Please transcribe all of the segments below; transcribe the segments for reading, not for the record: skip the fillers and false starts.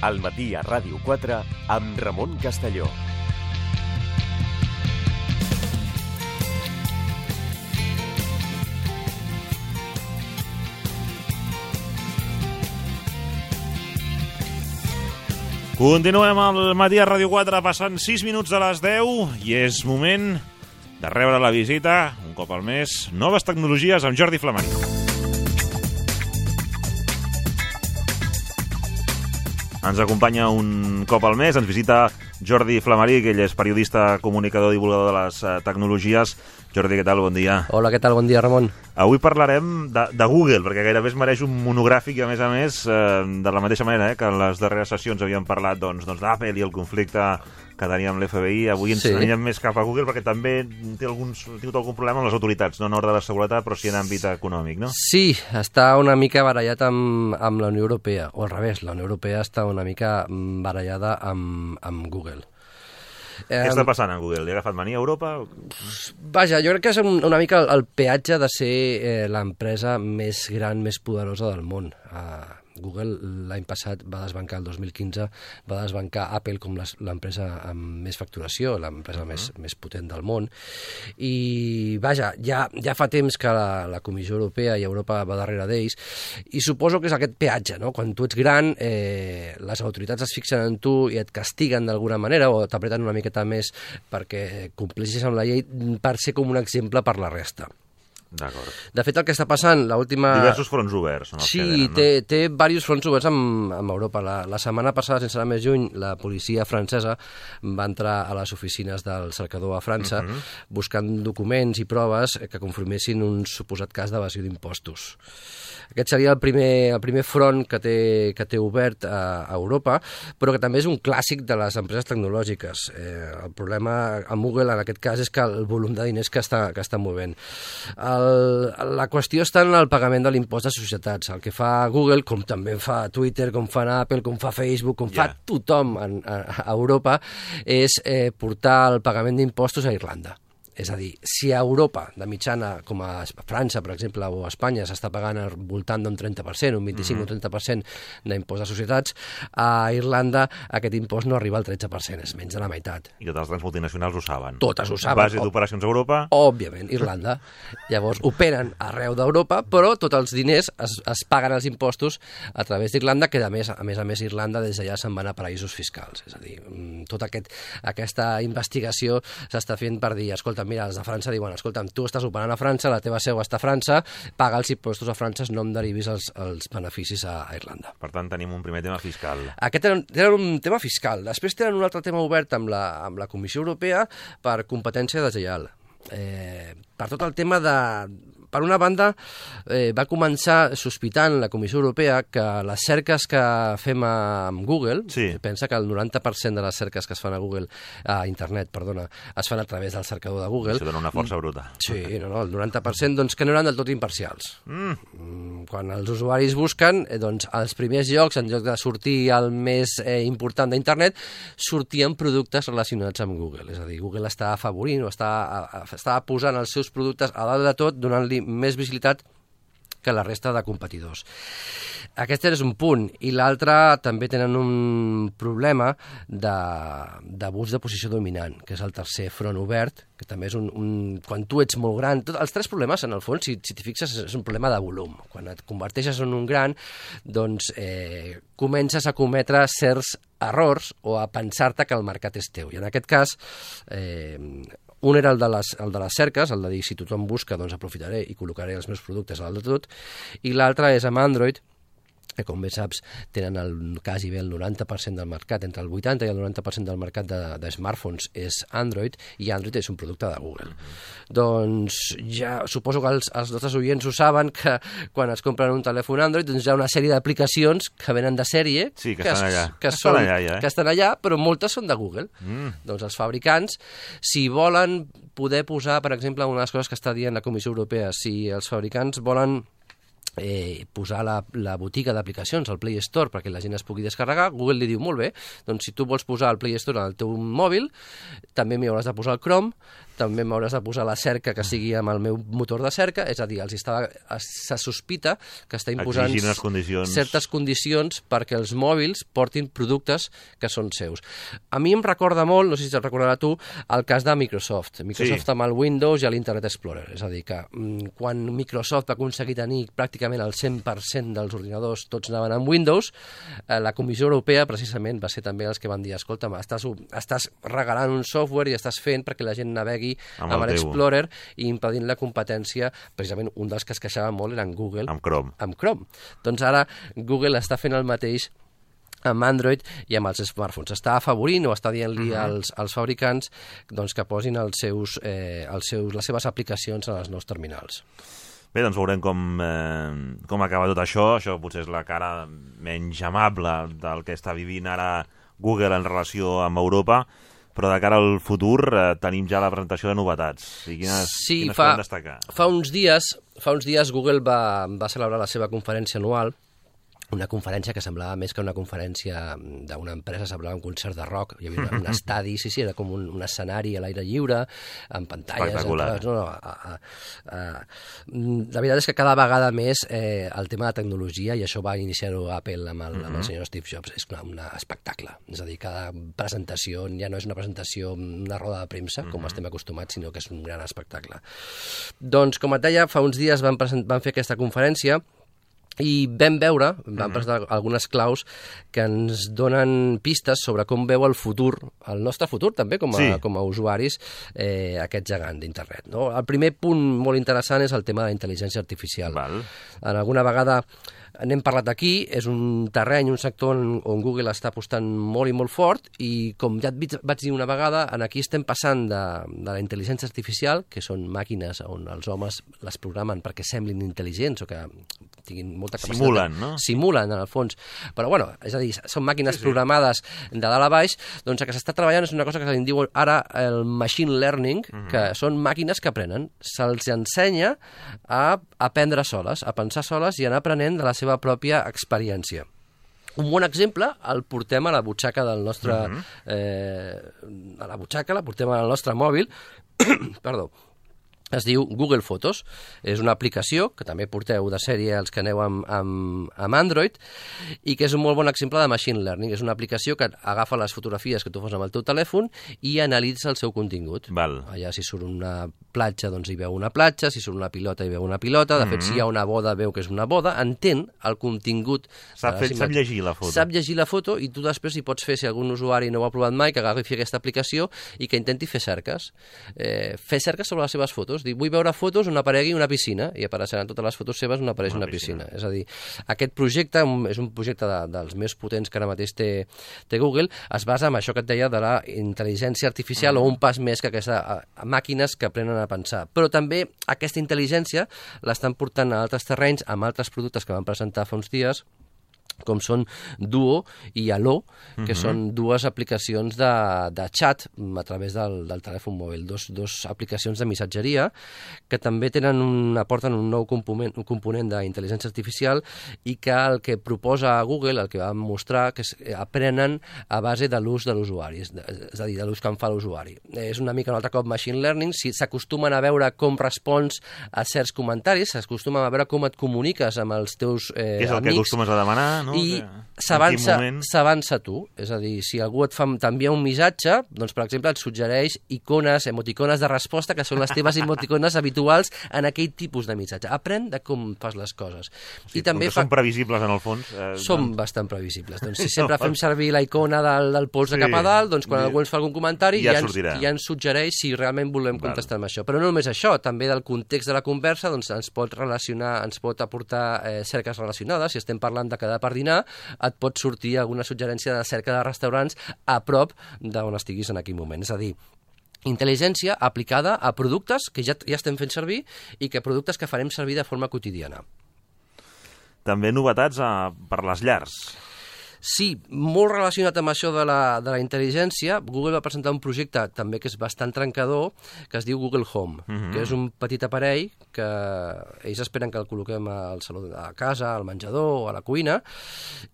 Al matí a Ràdio 4 amb Ramon Castelló. Continuem al matí a Ràdio 4, passant 6 minuts de les 10 i és moment de rebre la visita, un cop al mes, Noves Tecnologies amb Jordi Flamari. Ens acompanya un cop al mes, ens visita Jordi Flamari, que ell és periodista, comunicador i divulgador de les tecnologies. Jordi, què tal? Bon dia. Hola, què tal? Bon dia, Ramon. Avui parlarem de Google, perquè gairebé es mereix un monogràfic, a més, de la mateixa manera que en les darreres sessions havíem parlat d'Apple i el conflicte que teníem amb l'FBI. Avui ens anirem més cap a Google, perquè també té algun problema amb les autoritats, no en ordre de seguretat, però sí en àmbit econòmic, no? Sí, està una mica barallat amb la Unió Europea, o al revés, la Unió Europea està una mica barallada amb Google. Què està passant amb Google? Li ha agafat mania a Europa? Vaja, jo crec que és una mica el peatge de ser l'empresa més gran, més poderosa del món. Google l'any passat va desbancar, el 2015, va desbancar Apple com l'empresa amb més facturació, l'empresa més potent del món. I, vaja, ja fa temps que la Comissió Europea i Europa va darrere d'ells, i suposo que és aquest peatge, no? Quan tu ets gran, les autoritats es fixen en tu i et castiguen d'alguna manera, o t'apreten una miqueta més perquè compleixis amb la llei per ser com un exemple per la resta. D'acord. De fet, el que està passant, l'última... Diversos fronts oberts. Sí, té diversos fronts oberts amb Europa. La setmana passada, sense anar més lluny, la policia francesa va entrar a les oficines del cercador a França buscant documents i proves que confirmessin un suposat cas d'evasió d'impostos. Aquest seria el primer front que té obert a Europa, però que també és un clàssic de les empreses tecnològiques. El problema amb Google, en aquest cas, és que el volum de diners que està movent. La qüestió està en el pagament de l'impost de societats. El que fa Google, com també fa Twitter, com fa Apple, com fa Facebook, com fa tothom a Europa, és portar el pagament d'impostos a Irlanda. És a dir, si a Europa, de mitjana, com a França, per exemple, o a Espanya, s'està pagant al voltant d'un 30%, un 25 o 30% d'impost de societats, a Irlanda aquest impost no arriba al 13%, és menys de la meitat. I totes les grans multinacionals ho saben. Totes ho saben. Base d'operacions a Europa? Òbviament, Irlanda. Llavors, operen arreu d'Europa, però tots els diners es paguen els impostos a través d'Irlanda, que a més a més Irlanda des d'allà se'n van a paraïsos fiscals. És a dir, tota aquesta investigació s'està fent per dir, escolta, mira, els de França diuen, escolta, tu estàs operant a França, la teva seu està a França, paga els impostos a França, no em derivis els beneficis a Irlanda. Per tant, tenim un primer tema fiscal. Aquest era un tema fiscal. Després tenen un altre tema obert amb la Comissió Europea per competència deslleial. Per tot el tema de... Per una banda, va començar sospitant la Comissió Europea que les cerques que fem amb Google, pensa que el 90% de les cerques que es fan a Google, a internet, perdona, es fan a través del cercador de Google. Això dona una força bruta. Sí, el 90%, doncs, que no eren del tot imparcials. Quan els usuaris busquen, doncs, als primers llocs, en lloc de sortir el més important d'internet, sortien productes relacionats amb Google. És a dir, Google està afavorint o està posant els seus productes a dalt de tot, donant-li més visibilitat que la resta de competidors. Aquest és un punt. I l'altre, també tenen un problema d'abús de posició dominant, que és el tercer front obert, que també és quan tu ets molt gran... Els tres problemes, en el fons, si t'hi fixes, és un problema de volum. Quan et converteixes en un gran, doncs comences a cometre certs errors o a pensar-te que el mercat és teu. I en aquest cas... un era el de les cerques, el de dir, si tothom busca, doncs aprofitaré i col·locaré els meus productes a dalt de tot, i l'altre és amb Android, que com bé saps tenen quasi bé el 90% del mercat, entre el 80 i el 90% del mercat de smartphones és Android, i Android és un producte de Google. Doncs ja suposo que els nostres oients ho saben, que quan es compren un telèfon Android doncs hi ha una sèrie d'aplicacions que venen de sèrie, sí, que estan allà. Que estan allà, però moltes són de Google. Doncs els fabricants, si volen poder posar, per exemple, una de les coses que està dient la Comissió Europea, si els fabricants volen posar la botiga d'aplicacions al Play Store perquè la gent es pugui descarregar, Google li diu, molt bé, doncs si tu vols posar el Play Store al teu mòbil, també m'hi hauràs de posar el Chrome, també m'hauràs de posar la cerca que sigui amb el meu motor de cerca, és a dir, se sospita que està imposant certes condicions perquè els mòbils portin productes que són seus. A mi em recorda molt, no sé si te'n recordarà tu, el cas de Microsoft. Microsoft amb el Windows i l'Internet Explorer. És a dir, que quan Microsoft va aconseguir tenir pràcticament el 100% dels ordinadors tots anaven amb Windows, la Comissió Europea precisament va ser també els que van dir, escolta, estàs regalant un software i estàs fent perquè la gent navegui amb l'Explorer i impedint la competència. Precisament un dels que es queixava molt era en Google. Amb Chrome. Doncs ara Google està fent el mateix amb Android i amb els smartphones. Està afavorint o està dient-li als fabricants doncs, que posin les seves aplicacions en els nous terminals. Bé, doncs veurem com acaba tot això. Això potser és la cara menys amable del que està vivint ara Google en relació amb Europa, però de cara al futur tenim ja la presentació de novetats. I quines podem destacar? Fa uns dies Google va celebrar la seva conferència anual, una conferència que semblava més que una conferència d'una empresa, semblava un concert de rock. Hi havia un estadi, sí, era com un escenari a l'aire lliure, amb pantalles... Espectacular. La veritat és que cada vegada més el tema de tecnologia, i això va iniciar-ho Apple amb el senyor Steve Jobs, és un espectacle. És a dir, cada presentació ja no és una presentació, una roda de premsa, com estem acostumats, sinó que és un gran espectacle. Doncs, com et deia, fa uns dies van fer aquesta conferència i vam presentar algunes claus que ens donen pistes sobre com veu el futur, el nostre futur també com a usuaris, aquest gegant d'internet. No? El primer punt molt interessant és el tema de la intel·ligència artificial. En alguna vegada n'hem parlat aquí, és un terreny, un sector on Google està apostant molt i molt fort, i com ja et vaig dir una vegada, aquí estem passant de la intel·ligència artificial, que són màquines on els homes les programen perquè semblin intel·ligents o que tinguin molta capacitat. Simulen, no? Simulen, en el fons. Però, bueno, és a dir, són màquines programades de dalt a baix, doncs el que s'està treballant és una cosa que se'n diu ara el machine learning, que són màquines que aprenen. Se'ls ensenya a aprendre soles, a pensar soles i anar aprenent de la seva pròpia experiència. Un bon exemple el portem a la butxaca del nostre... a la butxaca, la portem al nostre mòbil, perdó, es diu Google Fotos. És una aplicació que també porteu de sèrie els que aneu amb Android i que és un molt bon exemple de machine learning. És una aplicació que agafa les fotografies que tu fas amb el teu telèfon i analitza el seu contingut. Allà si surt una platja, doncs hi veu una platja, si surt una pilota hi veu una pilota, de fet si hi ha una boda veu que és una boda, entén el contingut. Sap llegir la foto. Sap llegir la foto i tu després hi pots fer, si algun usuari no ho ha provat mai, que agafi aquesta aplicació i que intenti fer cerques. Fer cerques sobre les seves fotos. Dir, vull veure fotos on aparegui una piscina i apareixeran totes les fotos seves on apareix una piscina. És a dir, aquest projecte és un projecte dels més potents que ara mateix té Google, es basa en això que et deia de la intel·ligència artificial o un pas més que aquestes màquines que aprenen a pensar. Però també aquesta intel·ligència l'estan portant a altres terrenys amb altres productes que van presentar fa uns dies, com són Duo i Allo, que són dues aplicacions de xat a través del telèfon mòbil, dos aplicacions de missatgeria que també aporten un nou component d'intel·ligència artificial i que el que proposa Google, el que va mostrar, que aprenen a base de l'ús de l'usuari, és a dir, de l'ús que en fa l'usuari. És una mica un altre cop machine learning, si s'acostumen a veure com respons a certs comentaris, s'acostumen a veure com et comuniques amb els teus amics. És el que acostumes a demanar, no? I s'avança tu, és a dir, si algú t'envia un missatge, doncs per exemple et suggereix icones, emoticones de resposta que són les teves emoticones habituals en aquell tipus de missatge. Aprèn de com fas les coses. I també són previsibles en el fons. Són bastant previsibles. Doncs si sempre fem servir la icona del pols de cap a dalt, doncs quan algú ens fa algun comentari ja ens suggereix si realment volem contestar amb això. Però no només això, també del context de la conversa doncs ens pot relacionar, ens pot aportar cerques relacionades. Si estem parlant de quedar per dinar, et pot sortir alguna suggerència de cerca de restaurants a prop d'on estiguis en aquell moment. És a dir, intel·ligència aplicada a productes que ja estem fent servir i que productes que farem servir de forma quotidiana. També novetats per les llars. Sí, molt relacionat amb això de la intel·ligència, Google va presentar un projecte també que és bastant trencador, que es diu Google Home, que és un petit aparell que ells esperen que el col·loquem al saló de casa, al menjador o a la cuina,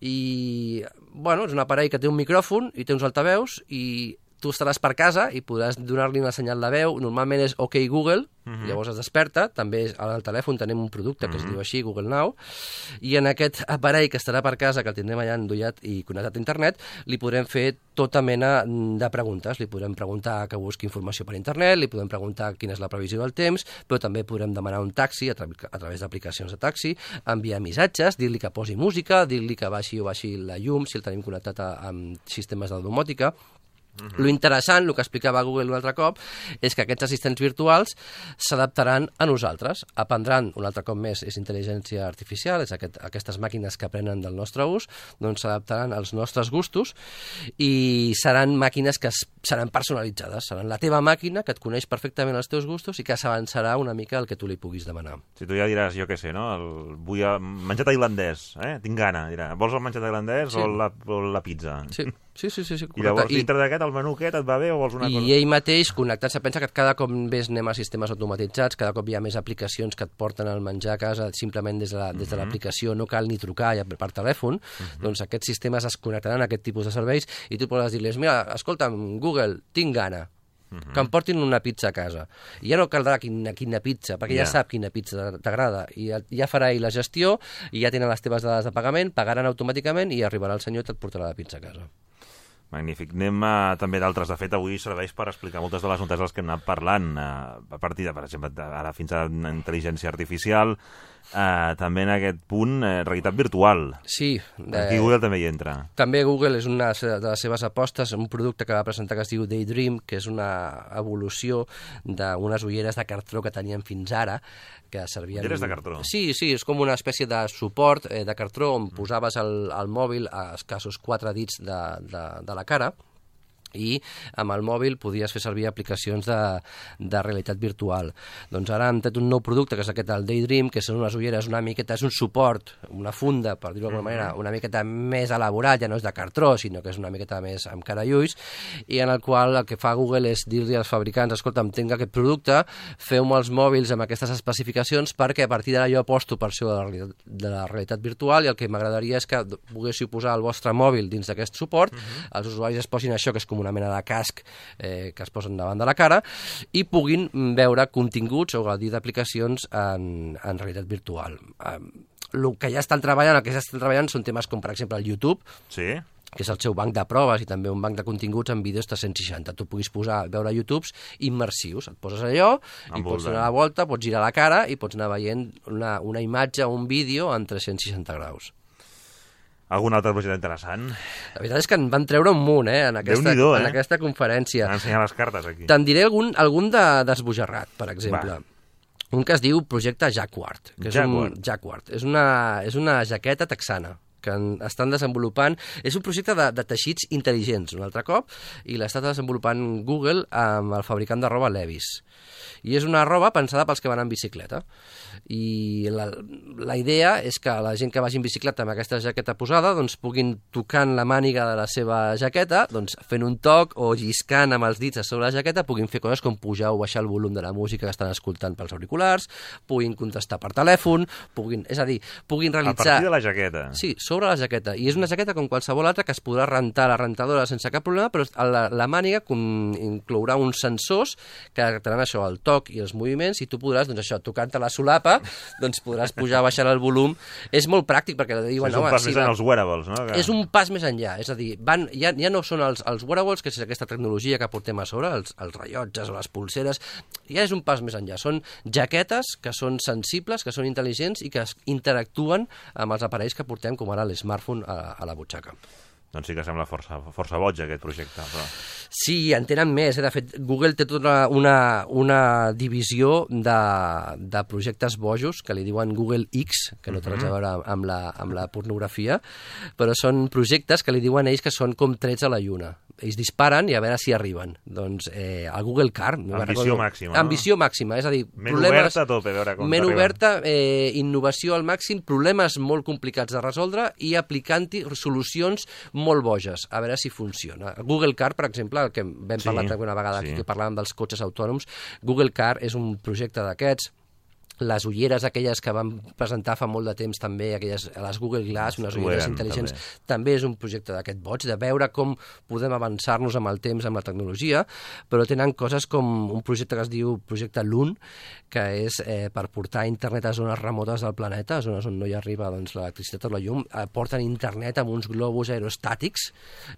i bueno, és un aparell que té un micròfon i té uns altaveus i tu estaràs per casa i podràs donar-li una senyal de veu, normalment és OK Google, llavors es desperta, també al telèfon tenim un producte que es diu així, Google Now, i en aquest aparell que estarà per casa, que el tindrem allà endollat i connectat a internet, li podrem fer tota mena de preguntes, li podrem preguntar que busqui informació per internet, li podem preguntar quina és la previsió del temps, però també podrem demanar un taxi a través d'aplicacions de taxi, enviar missatges, dir-li que posi música, dir-li que baixi o baixi la llum, si el tenim connectat amb sistemes de domòtica. Lo interessant, el que explicava Google un altre cop, és que aquests assistents virtuals s'adaptaran a nosaltres, aprendran, un altre cop més, és intel·ligència artificial, és aquestes màquines que aprenen del nostre ús, doncs s'adaptaran als nostres gustos i seran màquines que seran personalitzades, seran la teva màquina que et coneix perfectament els teus gustos i que s'avançarà una mica el que tu li puguis demanar. Si tu ja diràs, jo què sé, no? Vull menjar tailandès, tinc gana, dirà. Vols el menjar tailandès o la pizza? Sí. Sí, i llavors dintre d'aquest el menú aquest et va bé o vols una cosa? I ell mateix, connectat, se pensa que cada cop més anem a sistemes automatitzats, cada cop hi ha més aplicacions que et porten el menjar a casa simplement des de l'aplicació, no cal ni trucar per telèfon, doncs aquests sistemes es connectaran a aquest tipus de serveis i tu podràs dir-les, mira, escolta'm, Google, tinc gana, que em portin una pizza a casa. I ja no caldrà quina pizza, perquè ja sap quina pizza t'agrada. I ja farà ell la gestió, i ja tenen les teves dades de pagament, pagaran automàticament i arribarà el senyor i et portarà la pizza a casa. Magnífic. Anem també d'altres. De fet, avui serveix per explicar moltes de les notes dels que hem anat parlant, a partir de, per exemple, ara fins a intel·ligència artificial, també en aquest punt, realitat virtual. Sí. Aquí Google també hi entra. També Google és una de les seves apostes, un producte que va presentar que es diu Daydream, que és una evolució d'unes ulleres de cartró que tenien fins ara, que servien... Ulleres de cartró? Sí, és com una espècie de suport de cartró on posaves el mòbil a escassos 4 dits de la cara i amb el mòbil podies fer servir aplicacions de realitat virtual. Doncs ara han tret un nou producte, que és aquest, el Daydream, que són unes ulleres una miqueta, és un suport, una funda, per dir-ho d'alguna manera, una miqueta més elaborat, ja no és de cartró, sinó que és una miqueta més amb cara i ulls, i en el qual el que fa Google és dir-li als fabricants, escolta'm, tinc aquest producte, feu-me els mòbils amb aquestes especificacions perquè a partir d'ara jo aposto per això de la realitat virtual i el que m'agradaria és que poguéssiu posar el vostre mòbil dins d'aquest suport, els usuaris es posin això, que és com una mena de casc que es posen davant de la cara i puguin veure continguts o gaudir d'aplicacions en realitat virtual. El que ja estan treballant són temes com, per exemple, el YouTube, que és el seu banc de proves i també un banc de continguts en vídeos 360. Tu puguis veure YouTubes immersius. Et poses allò i pots donar la volta, pots girar la cara i pots anar veient una imatge o un vídeo en 360 graus. Algun altre projecte interessant? La veritat és que en van treure un munt, en aquesta conferència. Van ensenyar les cartes, aquí. Te'n diré algun d'esbojarrat, per exemple. Un que es diu Projecte Jacquard. Jacquard. És una jaqueta texana que estan desenvolupant. És un projecte de teixits intel·ligents, un altre cop, i l'està desenvolupant Google amb el fabricant de roba Levi's. I és una roba pensada pels que van en bicicleta. I la idea és que la gent que vagi en bicicleta amb aquesta jaqueta posada doncs puguin tocant la màniga de la seva jaqueta, doncs fent un toc o lliscant amb els dits a sobre la jaqueta, puguin fer coses com pujar o baixar el volum de la música que estan escoltant pels auriculars, puguin contestar per telèfon, puguin realitzar... A partir de la jaqueta? Sí, sobre la jaqueta. I és una jaqueta com qualsevol altra que es podrà rentar a la rentadora sense cap problema, però la màniga inclourà uns sensors que detectaran això, el toc i els moviments, i tu podràs, doncs això, tocant-te la solapa, doncs podràs pujar o baixar el volum. És molt pràctic perquè diuen... És un pas més enllà dels wearables, no? És un pas més enllà, és a dir, ja no són els wearables, que és aquesta tecnologia que portem a sobre, els rellotges o les pulseres, ja és un pas més enllà. Són jaquetes que són sensibles, que són intel·ligents i que interactuen amb els aparells que portem, com ara l'smartphone a la butxaca. Doncs sí que sembla força boig aquest projecte. Però... Sí, en tenen més. De fet, Google té tota una divisió de projectes bojos que li diuen Google X, que no té res a veure amb la pornografia, però són projectes que li diuen ells que són com trets a la lluna. Ells disparen i a veure si arriben. Doncs el Google Car... Ambició màxima, no? Ambició màxima, és a dir... Ment oberta a tope, a veure com ment oberta, innovació al màxim, problemes molt complicats de resoldre i aplicant-hi solucions molt boges, a veure si funciona. Google Car, per exemple, el que vam parlar una vegada aquí, que parlàvem dels cotxes autònoms, Google Car és un projecte d'aquests Les ulleres aquelles que van presentar fa molt de temps també, les Google Glass, unes ulleres intel·ligents, també és un projecte d'aquest boig, de veure com podem avançar-nos amb el temps, amb la tecnologia, però tenen coses com un projecte que es diu Projecte Loon, que és per portar internet a zones remotes del planeta, a zones on no hi arriba l'electricitat o la llum, porten internet amb uns globus aerostàtics.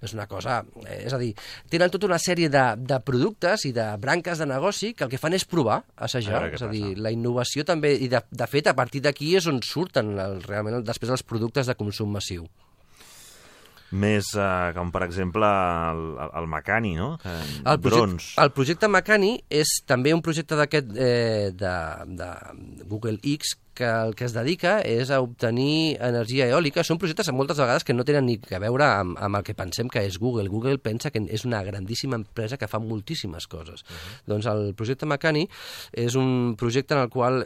És una cosa... És a dir, tenen tota una sèrie de productes i de branques de negoci que el que fan és provar, assajar. És a dir, la innovació també, i de fet, a partir d'aquí és on surten realment després els productes de consum massiu. Més com, per exemple, el Makani, no? Drons. El projecte Makani és també un projecte d'aquest de Google X, que el que es dedica és a obtenir energia eòlica. Són projectes moltes vegades que no tenen ni a veure amb el que pensem que és Google. Google pensa que és una grandíssima empresa que fa moltíssimes coses. Doncs el projecte Makani és un projecte en el qual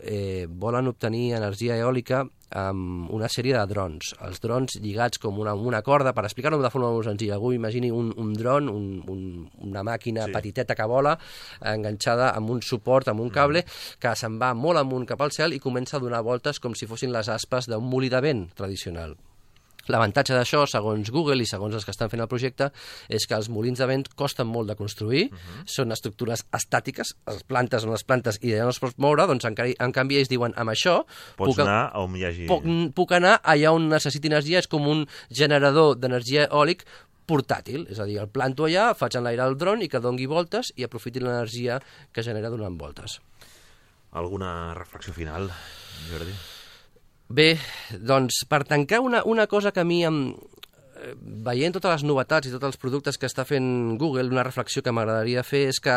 volen obtenir energia eòlica amb una sèrie de drons. Els drons lligats com una corda, per explicar-ho de forma molt senzilla. Algú imagini un dron, una màquina petiteta que vola, enganxada amb un suport, amb un cable, que se'n va molt amunt cap al cel i comença a donar voltes com si fossin les aspes d'un molí de vent tradicional. L'avantatge d'això, segons Google i segons els que estan fent el projecte, és que els molins de vent costen molt de construir, són estructures estàtiques, les plantes són les plantes i allà no es pot moure, doncs en canvi ells diuen, amb això... Pots anar on hi hagi... Puc anar allà on necessiti energia, és com un generador d'energia eòlic portàtil, és a dir, el planto allà, faig enlairar el dron i que dongui voltes i aprofiti l'energia que genera donant voltes. Alguna reflexió final, Jordi? Bé, doncs, per tancar una cosa que a mi, veient totes les novetats i tots els productes que està fent Google, una reflexió que m'agradaria fer és que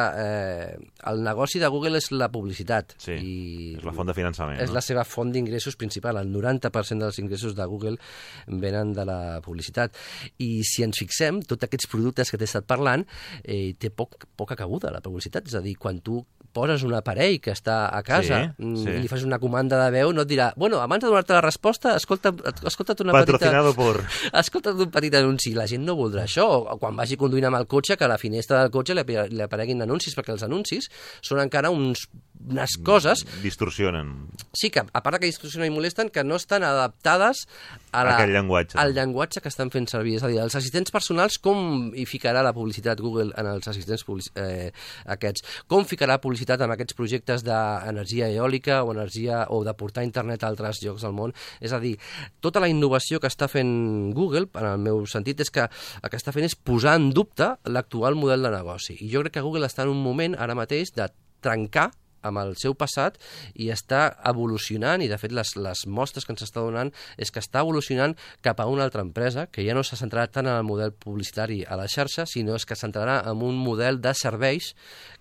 el negoci de Google és la publicitat. Sí, és la font de finançament. És la seva font d'ingressos principal. El 90% dels ingressos de Google venen de la publicitat. I si ens fixem, tots aquests productes que t'he estat parlant, té poca cabuda la publicitat. És a dir, quan tu poses un aparell que està a casa i li fas una comanda de veu, no et dirà, bueno, abans de donar-te la resposta, escolta't una Patrocinado por... Escolta't un petit anunci. La gent no voldrà això. O quan vagi conduint amb el cotxe, que a la finestra del cotxe li apareguin anuncis, perquè els anuncis són encara unes coses... Distorsionen. Sí, que a part que distorsionen i molesten, que no estan adaptades aquell llenguatge. Al llenguatge que estan fent servir. És a dir, els assistents personals, com hi ficarà la publicitat Google en els assistents aquests? Com ficarà publicitat en aquests projectes d'energia eòlica o de portar internet a altres llocs del món? És a dir, tota la innovació que està fent Google, en el meu sentit, és que el que està fent és posar en dubte l'actual model de negoci. I jo crec que Google està en un moment ara mateix de trencar amb el seu passat i està evolucionant, i de fet les mostres que ens està donant és que està evolucionant cap a una altra empresa que ja no se centrarà tant en el model publicitari a la xarxa, sinó que es centrarà en un model de serveis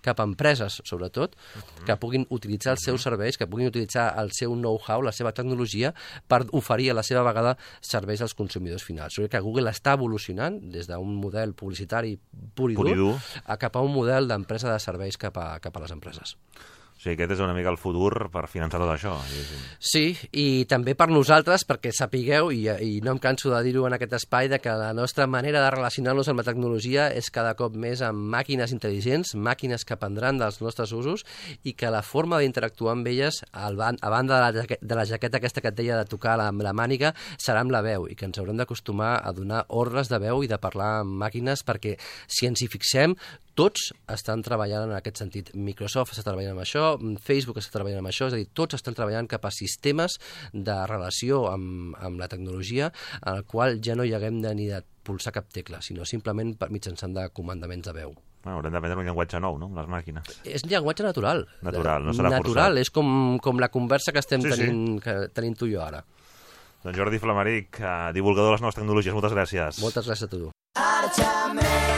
cap a empreses, sobretot, que puguin utilitzar els seus serveis, que puguin utilitzar el seu know-how, la seva tecnologia, per oferir a la seva vegada serveis als consumidors finals. Jo crec que Google està evolucionant des d'un model publicitari pur i dur cap a un model d'empresa de serveis cap a les empreses. O sigui, aquest és una mica el futur per finançar tot això. Sí, i també per nosaltres, perquè sapigueu, i no em canso de dir-ho en aquest espai, que la nostra manera de relacionar-nos amb la tecnologia és cada cop més amb màquines intel·ligents, màquines que aprendran dels nostres usos, i que la forma d'interactuar amb elles, a banda de la jaqueta aquesta que et deia de tocar amb la màniga, serà amb la veu, i que ens haurem d'acostumar a donar ordres de veu i de parlar amb màquines, perquè si ens hi fixem, tots estan treballant en aquest sentit. Microsoft està treballant amb això, Facebook està treballant amb això, és a dir, tots estan treballant cap a sistemes de relació amb la tecnologia en el qual ja no hi haguem ni de pulsar cap tecla, sinó simplement mitjançant de comandaments de veu. Haurem d'aprendre un llenguatge nou, no?, les màquines. És un llenguatge natural. Natural, no serà forçat. Natural, és com la conversa que estem tenint tu i jo ara. Doncs Jordi Flamaric, divulgador de les noves tecnologies, moltes gràcies. Moltes gràcies a tu.